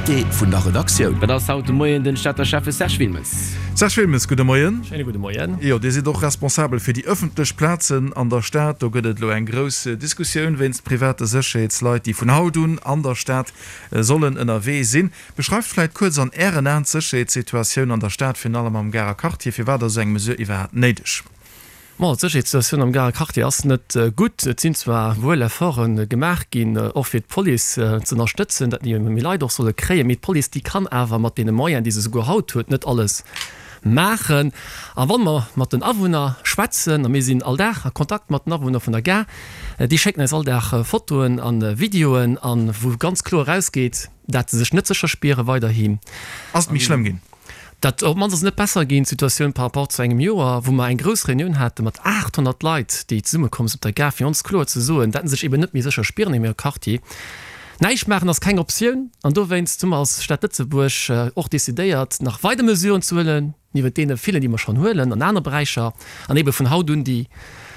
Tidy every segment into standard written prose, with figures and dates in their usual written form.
Invité vun der Redaktioun. Dat ass haut de Moien den Stater Schäffe Serge Wilmes. Serge Wilmes, gudde Moien. Schéine gudde Moien. Jo, Dir sidd och responsabel fir déi ëffentlech Plazen an der Stad. Do gëtt et elo eng grouss Diskussioun wéinst private Sécherheetsleit, déi vun haut un an der Stad sollen ënnerwee sinn. Beschreift vläit kuerz an Ären Aen d'Sécherheetssituatioun an der Stad, virun allem am Garer Quartier. Firwat ass esou eng Mesure iwwerhaapt néideg? Bon, d'Sécherheetssituatioun am Garer Quartier ass net gutt. Et sinn zwar wuel Efforte gemaach ginn, och fir d'Police ze ënnerstëtzen, datt méi Leit och solle kréien, mee d'Police, déi kann awer mat deene Moyenen, déi se souguer haut huet, net alles maachen. A wa mer mat den Awunner schwätzen, a mir sinn all Dag a Kontakt mat den Awunner vun der Gare, déi schécken eis all Dag Fotoen a Videoen, a wou ganz kloer erausgeet, dat se sech net sécher spiere weiderhin. Ass et méi schlëmm ginn? Dat op d'mannst ass et net besser ginn, d'Situatioun par rapport zu engem Joer, wou mer eng grouss Reunioun hate mat 800 Leit, déi zesummekomm sinn op der Gare, fir ons kloer ze soen, dat se sech eben net méi sécher spieren an hirem Quartier. Näischt maachen ass keng Optioun an dowéinst hu mer als Stad Lëtzebuerg och decidéiert, nach weider Mesuren ze huelen, niewent deene villen, déi mer schonn huelen an anere Beräicher, an ebe vun haut un déi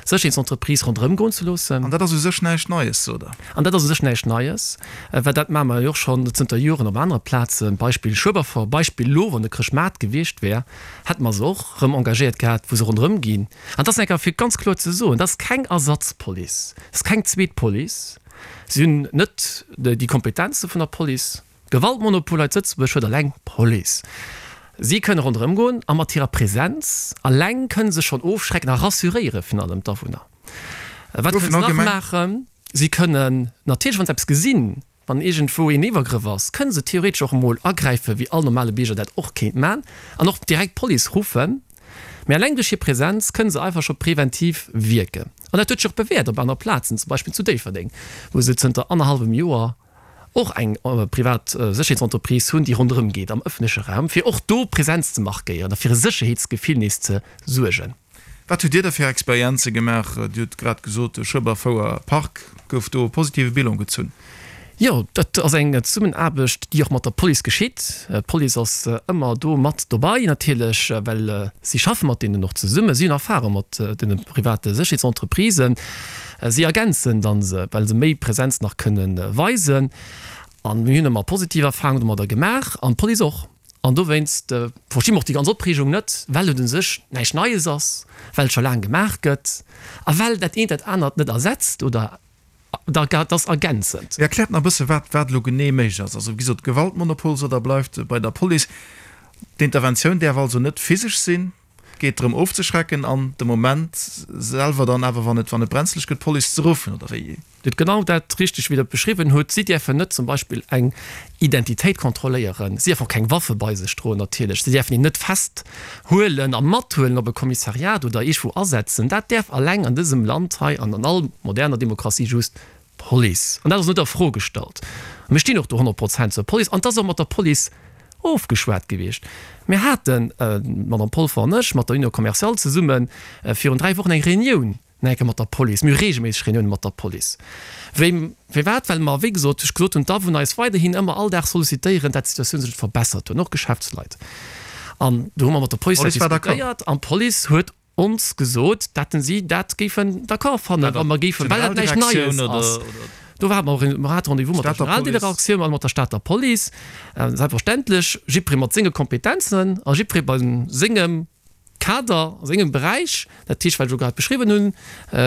Sécherheetsentreprise ronderëm goen ze loossen. An dat ass u sech näischt Neies, sot Der? An dat ass u sech näischt Neies, well dat maache mer jo och schonn zënter Joren op anere Plazen, Beispill Schueberfouer, Beispill elo, wann de Chrëschtmaart gewiescht wär, hätte mer se och erëm engagéiert gehat, wou se ronderëm ginn. An dat ass eng Kéier fir ganz kloer ze soen, dat ass keng Ersatzpolice, dat ass keng zweet Police. Si hunn net déi Kompetenze vun der Police. Gewaltmonopol hei zu Lëtzebuerg huet alleng d'Police. Si kënne ronderëm goen a mat hirer Präsenz alleng kënne se schonn ofschrecken a rassuréiere virun allem d'Awunner. Wat kënne se nach maachen? Si kënnen natierlech, wa se eppes gesinn, wann iergendwou een Iwwergrëff ass, kënne se theoretesch och emol agräifen, wéi all normale Bierger dat och kéint maachen, an och direkt d'Police ruffen. Mee alleng duerch hir Präsenz kënne se einfach scho preventiv wierken. An dat huet sech och bewäert op aner Plazen, zum Beispill zu Déifferdeng, wou se zënter annerhallwem Joer och eng privat Sécherheetsentreprise hunn, déi ronderëm geet am ëffentleche Raum, fir och do Präsenz ze markéieren a fir e Sécherheetsgefill nees ze suergen. Wat hutt Dir da fir Experienze gemaach? Dir hutt grad gesot, de Schueberfouer Park, gouf do e positive Bilan gezunn? Jo, dat ass eng Zesummenaarbecht, déi och mat der Police geschitt. D'Police ass ëmmer do mat dobei natierlech, well si schaffe mat deenen och zesummen. Si hunn Erfahrung mat deene private Sécherheetsentreprisen. Si ergänzen dann se, well se méi Präsenz nach kënne weisen. A mir hunn ëmmer positiv Erfahrungen domadder gemaach an d'Police och. An dowéinst versti mer och déi ganz Opreegung net, well et u sech näischt Neies ass, well et scho laang gemaach gëtt a well dat eent dat anert net ersetzt oder dat ass ergänzend. Mee erkläert nach e bësse wat wat elo genee méiglech ass. Also wéi gesot, Gewaltmonopol sot Der bleift bei der Police. D'Interventioun däerf also net physesch sinn. Geet drëm ofzeschrecken an de Moment selwer dann awer, wann et wann et brenzlech gëtt, d'Police ze ruffen, oder wéi? Dir hutt genau dat richteg wéi Der et beschriwwen hutt. Si däerfen net zum Beispill eng Identitéit kontrolléieren, si däerfen och keng Waffe bei sech droen natierlech, si däerfen een net festhuelen a mathuelen op e Kommissariat oder iergwou asetzen. Dat däerf alleng an dësem Land hei an an all moderner Demokratie just Police. An dat ass net a Fro gestallt. A mir stinn och do 100 Prozent zur Police. An et ass och mat der Police ofgeschwat gewiescht. Mir haten, d'Madame Polfer an ech, mat der Union commerciale zesummen, virun 3 Wochen eng Reunioun nach eng Kéier mat der Police. Mir hu regelméisseg Reuniounen mat der Police. Wéi, firwat? Well mer, wéi gesot, ech gesot hunn, d'Awunner eis weiderhin ëmmer all Dag sollicitéieren, dat d'Situatioun sech verbessert huet, och Geschäftsleit. An do hu mer mat der Police dat diskutéiert an d'Police huet ons gesot, datten si dat géifen d'accord fannen, wa mer géifen, well dat näischt Neies ass. Do hate mer, mer hate Rendez-vous mat der Generaldirektioun a mat der Stater Police, selbstverständlech, jiddweree mat senge Kompetenzen a jiddweree bei sengem Kader, a sengem Beräich. Dat heescht, wat ech elo grad beschriwwen hunn,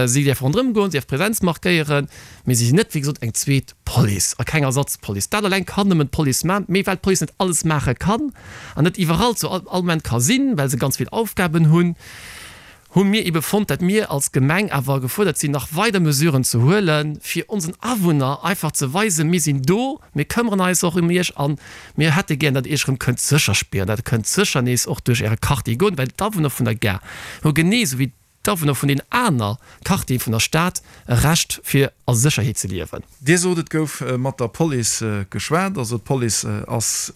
si däerfe ronderëm goen, si däerfe Präsenz markéieren, mee si sinn net, wéi gesot, eng zweet Police a keng Ersatzpolice. Dat eleng kann nëmmen d'Police maachen, mee well d'Police net alles maache kann an net iwwerall zu all Moment ka sinn, well se ganz vill Aufgaben hunn, hu mir ebe fonnt, dat mir als Gemeng awer gefuerdert sinn, nach weider Mesuren ze huelen, fir onsen Awunner einfach ze weisen, mir sinn do, mir këmmeren eis och ëm iech a mir hätte gären, datt Iech erëm kënnt sécher spieren, datt Der kënnt sécher nees och duerch Äre Quartier goen, well d'Awunner vun der Gare hu genee esou wéi D'Awunner vun den aner Quartiere vun der Stad e Recht fir a Sécherheet ze liewen. Dir sot, et gouf mat der Police geschwat, also d'Police ass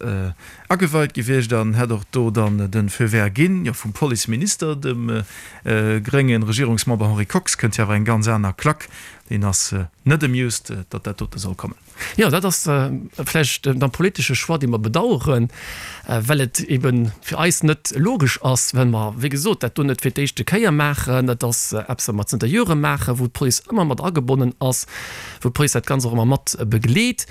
ageweit gewiescht an hätt och do dann de Feu vert ginn. Jo, vum Policeminister, dem grénge Regierungsmember Henri Kox, kënnt jo awer eng ganz aner Klack. Deen ass net amused, datt dat dote soll kommen. Jo, dat ass vläicht dann politesche Choix, dee mer bedauern, well et ebe fir eis net logesch ass, well mer, wéi gesot, dat do net fir d'éischte Kéier maachen. Dat ass eppes, wat mer zënter Jore maachen, wou d'Police ëmmer mat agebonnen ass, wou d'Police dat Ganzt och ëmmer mat begleet.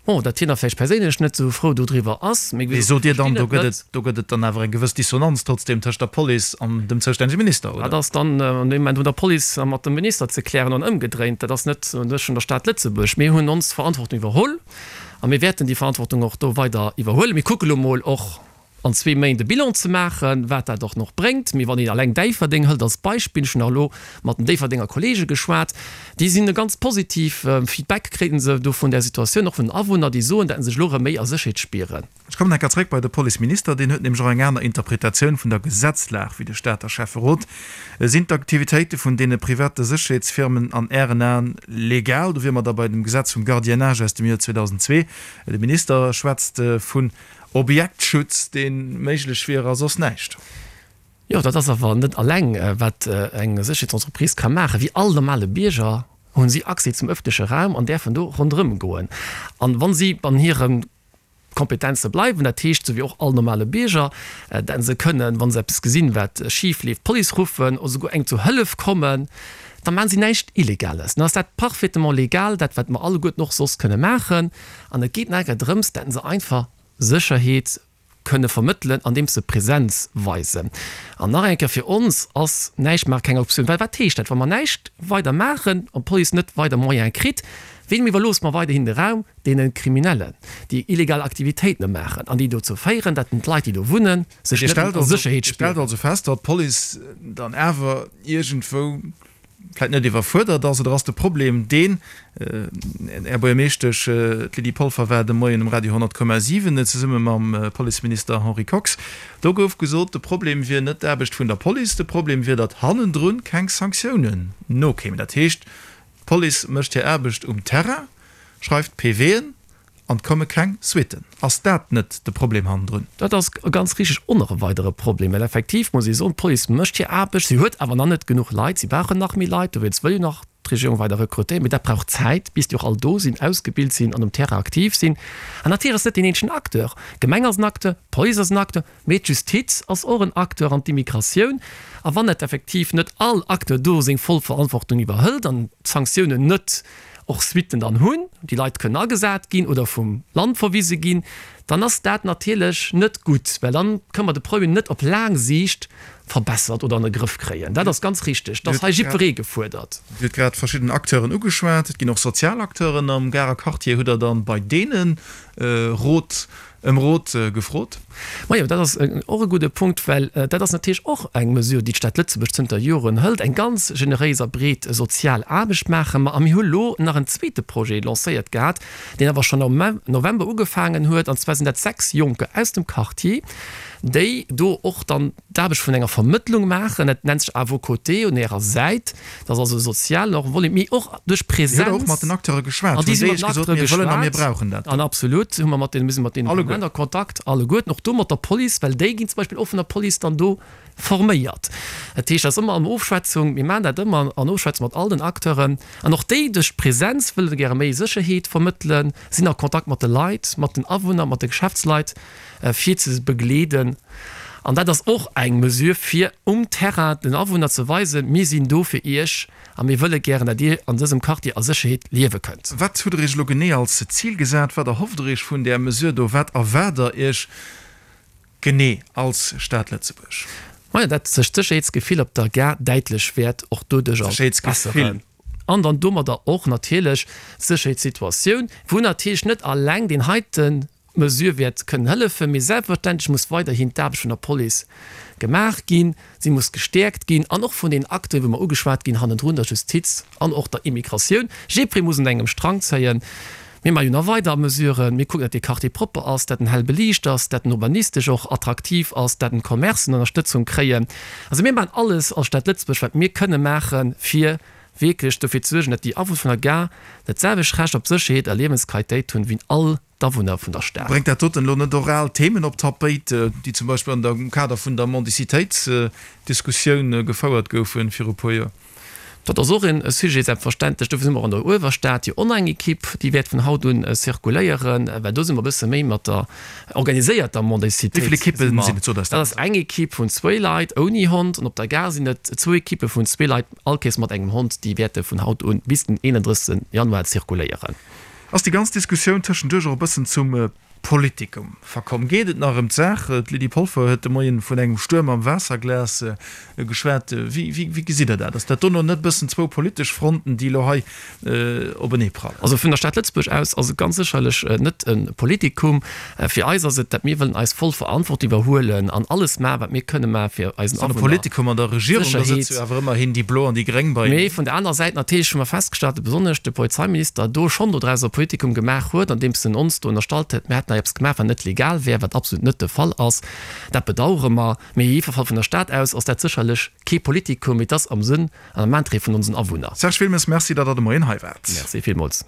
Bon, datt hien da vläicht perséinlech net esou frou dodriwwer ass, mee Mee sot Dir dann, do gëtt et, do gëtt et dann awer eng gewëss Dissonanz trotzdem tëscht der Police an dem zoustännege Minister, oder? Dat ass dann an deem Moment un der Police a mat dem Minister ze klären an ëmgedréint. Dat ass net un sech vun der Stad Lëtzebuerg. Mir hunn ons Verantwortung iwwerholl a mir wäerten déi Verantwortung och do weider iwwerhuelen. Mir kucke lo mol och, an zwee Méint e Bilan ze maachen, wat dat och nach bréngt. Mee wann een alleng Déifferdeng hëlt als Beispill, ech hunn nach elo mat den Déifferdenger Kollege geschwat, déi sinn e ganz positiv Feedback kréien se do vun där Situatioun, och vun den Awunner, déi soen, datt se sech elo erëm méi a Sécherheet spieren. Ech kommen enker zréck bei de Policeminister. Deen huet nämlech och eng aner Interpretatioun vun der Gesetzlag wéi de Stater Schäfferot. Sinn d'Aktivitéite vun deene private Sécherheetsfirmen an Ären Aen legal? Do wiere mer da bei dem Gesetz vum Gardiennage aus dem Joer 2002. De Minister schwätzt vun Objektschutz, dee méiglech wier, a soss näischt. Jo, dat ass awer net alleng, wat eng Sécherheetsentreprise ka maachen. Wéi all normale Bierger hunn si Accès zum ëffentleche Raum an däerfen do ronderëm goen. An wa si an hire Kompetenze bleiwen, dat heescht, esou wéi och all normale Bierger, dat se kënnen, wa se eppes gesinn, wat schif leeft, d'Police ruffen oder souguer engem zu Hëllef kommen, da maachen si näischt Illegales. Dann ass dat parfaitement legal, dat wat mer alleguerten och soss kënne maachen. An et geet nach eng Kéier drëms, datt se einfach Sécherheet kënne vermëttelen, andeems se Präsenz weisen. An nach eng Kéier, fir ons ass näischt maache keng Optioun. Well wat heescht dat, wa mer näischt weider maachen an d'Police net weider Moyene kritt? Weem iwwerloosse mer weiderhin de Raum? Deene Kriminellen, déi illegal Aktivitéiten maachen an déi dozou féieren, datt d'Leit, déi do wunnen, sech net méi a Sécherheet spieren. Dir stellt also fest, datt d'Police dann awer iergendwou vläit net iwwerfuerdert ass, oder ass de Problem deen, Här Buergermeeschtesch, d'Lydie Polfer war de Moien um Radio 100,7 zesumme mam Policeminister Henri Kox, do gouf gesot, de Problem wier net d'Aarbecht vun der Police, de Problem wier, datt hannendrun keng Sanktiounen nokéimen. Dat heescht, d'Police mécht hir Aarbecht um Terrain, schreift PVen, An 't komme keng Suitten. Ass dat net de Problem hannendrun? Dat ass ganz richteg och nach e weidere Problem, well effektiv muss ee soen, d'Police mécht hir Aarbecht, si huet awer nach net genuch Leit, si brauchen nach méi Leit, dowéinst wëll jo nach d'Regierung weider rekrutéieren, mee dat brauch Zäit, bis déi och all do sinn, ausgebilt sinn an um Terrain aktiv sinn. An natierlech ass net deen eenzegen Acteur. D'Gemeng ass en Acteur, d'Police ass en Acteur, Mee d'Justiz ass och en Acteur an d'Immigratioun. A wann net effektiv net all Acteur do seng voll Verantwortung iwwerhëlt an d'Sanktiounen net och Suitten dann hunn, déi Leit kënnen agesat ginn oder vum Land verwise ginn, dann ass dat natierlech net gutt, well dann kënne mer de Problem net op laang Siicht verbessert oder an de Grëff kréien. Dat ass ganz richteg. Et ass hei jiddweree gefuerdert. Dir hutt grad verschidden Acteuren ugeschwat. Et ginn och sozial Acteuren am Garer Quartier. Hutt Der dann bei deene Rot Ëm Rot gefrot. Majo, dat ass och e gudde Punkt, well dat ass natierlech och eng Mesure, déi d'Stad Lëtzebuerg zënter Joren hëlt. Eng ganz generéis a breet sozial Aarbecht maache mer. A mir hu lo nach en zweete Projet lancéiert gehat, deen awer schonn am November ugefaangen huet. An zwar sinn dat 6 Jonker aus dem Quartier, déi do och dann d'Aarbecht vun enger Vermëttlung maachen. Dat nennt sech À vos côtés, un Ärer Säit. Dat ass also e sozialen och Volet, mee och duerch Präsenz. Dir hutt och mat den Acteure geschwat. An déi si mat den Acteure geschwat. An absolut hu mer mat deenen, mir si mat deenen permanent a Kontakt, alleguerten, och do mat der Police, well déi ginn zum Beispill och vun der Police dann do forméiert. Dat heescht, dat ass ëmmer an Ofschwätzung, mir maachen dat ëmmer an Ofschwätzung mat all den Acteuren. An och déi duerch d'Präsenz wëlle gäre méi Sécherheet vermëttelen, sinn a Kontakt mat de Leit, mat den Awunner, mat de Geschäftsleit. fir ze begleeden. An dat ass och eng Mesure, fir um Terrain den Awunner ze weisen, Mir sinn do fir Iech a mir wëlle gären, datt Dir an dësem Quartier a Sécherheet liewe kënnt. Wat hutt Der Iech elo genee als Zil gesat? Wat erhofft Der Iech vun där Mesure do? Wat erwaart Der Iech genee als Stad Lëtzebuerg? Majo, datt sech d'Sécherheetsgefill op der Gare däitlech wäert och doduercher besseren. An dann domadder och natierlech d'Sécherheetssituatioun, wou natierlech net alleng deen heite Mesure wäert kënnen hëllefen, mee selbstverständlech muss weiderhin d'Aarbecht vun der Police gemaach ginn, si muss gestäerkt ginn an och vun den Acteuren, wou mer ugeschwat ginn hannendrun, der Justiz an och der Immigratioun. Jiddweree muss un engem Strang zéien. Mir maache jo nach weider Mesuren. Mir kucken, datt dee Quartier propper ass, datt en hell beliicht ass, datt en urbanistesch och attraktiv ass, datt en d'Commercen Ënnerstëtzung kréien. Also mir maachen alles als Stad Lëtzebuerg, wat mir kënne maachen, fir wierklech dofir ze suergen, datt déi Awunner vun der Gare dat selwecht Recht op Sécherheet a Liewensqualitéit hunn, wéi all d'Awunner vun der Stad. Bréngt dat doten elo net och al Themen op d'Tapéit, déi zum Beispill an der am Kader vun der Mendicitéitsdiskussioun gefouert goufen viru puer Joer? Dat ass och e Sujet, selbstverständlech. Dofir si mer och an der Uewerstad jo och nach eng Ekipp, déi wäert vun haut un zirkuléieren, well do si mer e bësse méi mat der organiséierter Mendicitéit. Wéi vill Ekippe sinn et? Sot eis dat. Dat ass eng Ekipp vun zwéi Leit ouni Hond an op der Gare sinn et zwou Ekippe vun zwee Leit, all Kéiers mat engem Hond. Déi wäerte vun haut un bis den 31 Januar zirkuléieren. Ass déi ganz Diskussioun tëschenduerch och e bëssen zum Politikum verkomm? Geet et nach ëm d'Saach? D'Lydie Polfer huet de Moien vun engem Stuerm am Waasserglas geschwat. Wéi gesitt Der dat? Ass dat dono net e bëssen zwou politesch Fronten, déi elo hei openee prallen? Also vun der Stad Lëtzebuerg aus ass et ganz sécherlech net e Politikum. Fir eis ass et, dat mir wëllen eis voll Verantwortung iwwerhuelen an alles maachen, wat mir kënne maachen, fir eisen Awunner An e Politikum an der Regierung, da sëtze jo awer ëmmerhin déi Blo an déi Gréng beieneen. Mee vun der anerer Säit natierlech hu mer festgestallt, datt besonnesch de Polizeiminister do schonn dodraus e Politikum gemaach huet, andeems en ons do ënnerstallt huet, mir hätten hei eppes gemaach, wat net legal wär, wat absolut net de Fall ass. Dat bedauere mer. Mee jiddwer Fall vun der Stad aus ass dat sécherlech kee Politikum, mee et ass am Sënn an am Interêt vun onsen Awunner. Serge Wilmes, Merci, datt Der de Moien hei waart. Merci villmools.